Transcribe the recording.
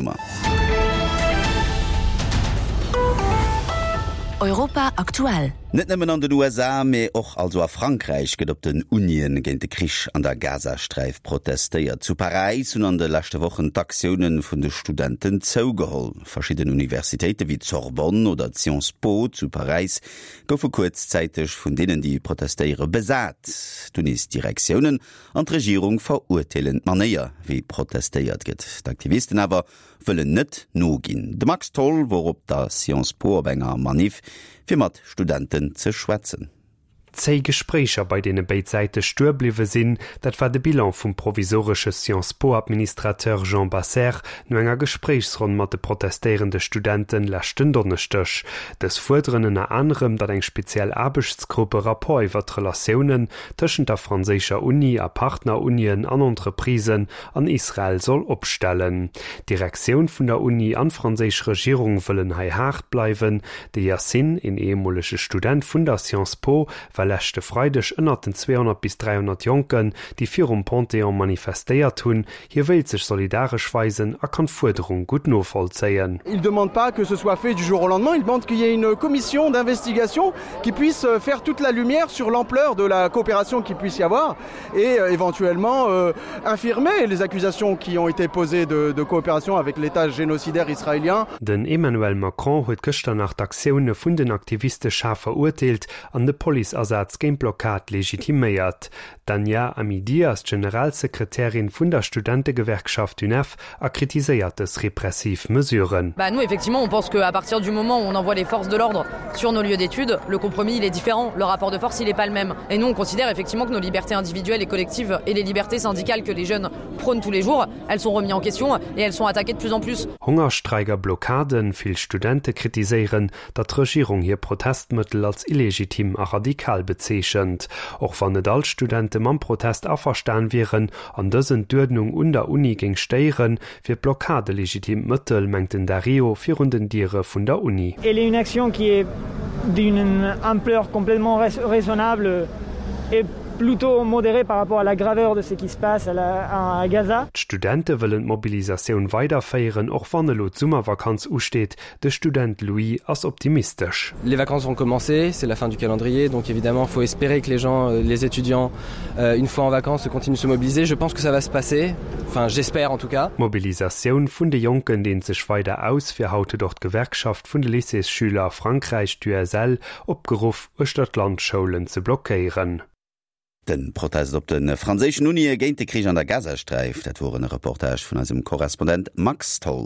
Nummer. Europa aktuell. Net nëmmen an den USA, mee och also a Frankräich gëtt op den Unien géint de Krich an der Gazasträif protestéiert. Zu Paräis hunn an de leschte Wochen d'Aktioune vun de Studenten zougeholl. Verschidden Universitéite wéi d'Sorbonne oder d'Sciences Po zu Paräis goufe kuerzzäiteg vun deenen, déi protestéiere, besat. D'Unisdirektiounen an d'Regierung verurteelen d'Manéier, wéi protestéiert gëtt. D'Aktivisten awer wëllen net noginn. De Max Tholl wor op der Sciences Po op enger Maniff, fir mat Studenten ze schwätzen. Zéi Gespréicher, bei deene béid Säite stuer bliwwe sinn, dat war de Bilan vum provisoresche Sciences Po-Administrateur Jean Basser no enger Gespréichsronn mat de protestéierende Studenten leschten Donneschdeg. Dës fuerderen ënner anerem, datt eng speziell Aarbechtsgrupp e Rapport iwwer d'Relatiounen tëschent der franséischer Uni a Partner-Unien an Entreprisen an Israel soll opstellen. D'Direktioun vun der Uni an d'franséisch Regierung wëllen hei haart bleiwen. De Yassine, een ehemolege Student vun der Sciences Po, war leschte Freideg ënnert den 200 bis 300 Jonken, déi virum Panthéon manifestéiert hunn. Hie wéilt sech solidaresch weisen a kann d'Fuerderung gutt novollzéien. Il demande pas que ce soit fait du jour au lendemain, il demande qu'il y ait une commission d'investigation qui puisse faire toute la lumière sur l'ampleur de la coopération qu'il puisse y avoir et euh, éventuellement euh, infirmer les accusations qui ont été posées de, de coopération avec l'état génocidaire israélien. Den Emmanuel Macron huet gëschter nach d'Aktioune vun den Aktiviste schaarf verurteelt an de Policeasaz géint d'Blockad legitiméiert. D'Anja Amidi ass d'Generalsekretärin vun der Studentegewerkschaft UNEF a kritiséiert dës repressiv Mesuren. Bah nous effectivement on pense que à partir du moment où on envoie les forces de l'ordre sur nos lieux d'études, le compromis il est différent, le rapport de force il est pas le même. Et nous on considère effectivement que nos libertés individuelles et collectives et les libertés syndicales que les jeunes prônent tous les jours, elles sont remises en question et elles sont attaquées de plus en plus. Hongerstreik a Blockaden, Vill Studente kritiséieren, datt d'Regierung hir Protestmëttel als illegitim a radikal bezeechent. Och wann net all d'Studente mam Protest averstan wieren an dësen d'Uerdnung un der Uni géing stéieren, wier d'Blockad e legitimt Mëttel, mengt den Dario virun den Diere vun der Uni. Elle est une action qui est d'une ampleur complètement raisonnable et plutôt modérée par rapport à la graveur de ce qui se passe à Gaza. D'Studente wëllen d'Mobilisatioun weiderféieren, och wann elo d'Summervakanz usteet. De Student Louis ass optimistesch. Les vacances vont commencer, c'est la fin du calendrier, donc évidemment faut espérer que les gens, euh, les étudiants, euh, une fois en vacances, continuent de se mobiliser. Je pense que ça va se passer, enfin j'espère en tout cas. D'Mobilisatioun vun de Jonken deent sech weider aus. Fir haut huet och d'Gewerkschaft vun de Lycéesschüler a Frankräich, d'USL, opgeruff, uechter d'Land Schoulen ze blockéieren. De Protest op de franséischen Unie géint de Krich an der Gazasträif, dat wor en Reportage vun eisem Korrespondent Max Tholl.